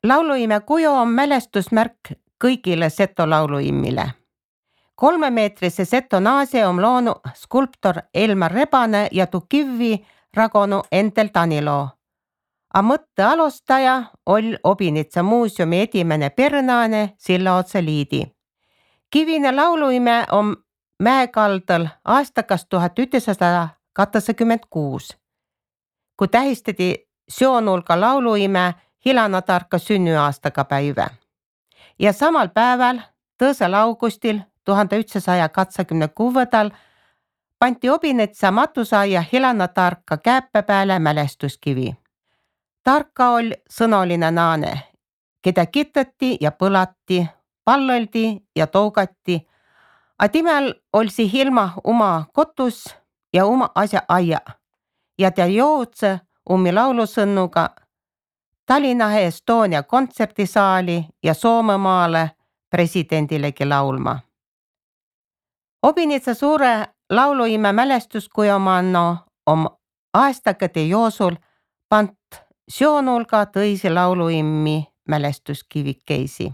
Lauluime kuju on mälestusmärk kõigile Seto lauluimmile. 3-meetrise Seto naase on loonud skulptor Elmar Rebane ja tuu kivvi ragonu Endel Tanilo. A mõtte alustaja oli Obinitsa muuseumi edimene pernaane Sillaotsa Liidi. Kivine lauluime on mäekaldal aastakas 1986, kui tähistati Sioonulga lauluime Hilana Tarka sünnüaastaga päivä. Ja samal päeval, 2. augustil 1986 panti Obinitsa matusaia Hilana Tarka käppe pääle mälestuskivi. Tarka oli sõnoline naane, keda kitati ja põlati, palloldi ja tougati, a timel olisi Hilma oma kotus ja oma asja aia ja ta joutse ummi laulusõnnuga Tallinna Estonia kontserdisaali ja Soomemaale presidendilegi laulma. Obinitsa suure lauluime mälestuskujomanno on aastakade joosul pant Sioonulga tõisi lauluimmi mälestuskivikkeisi.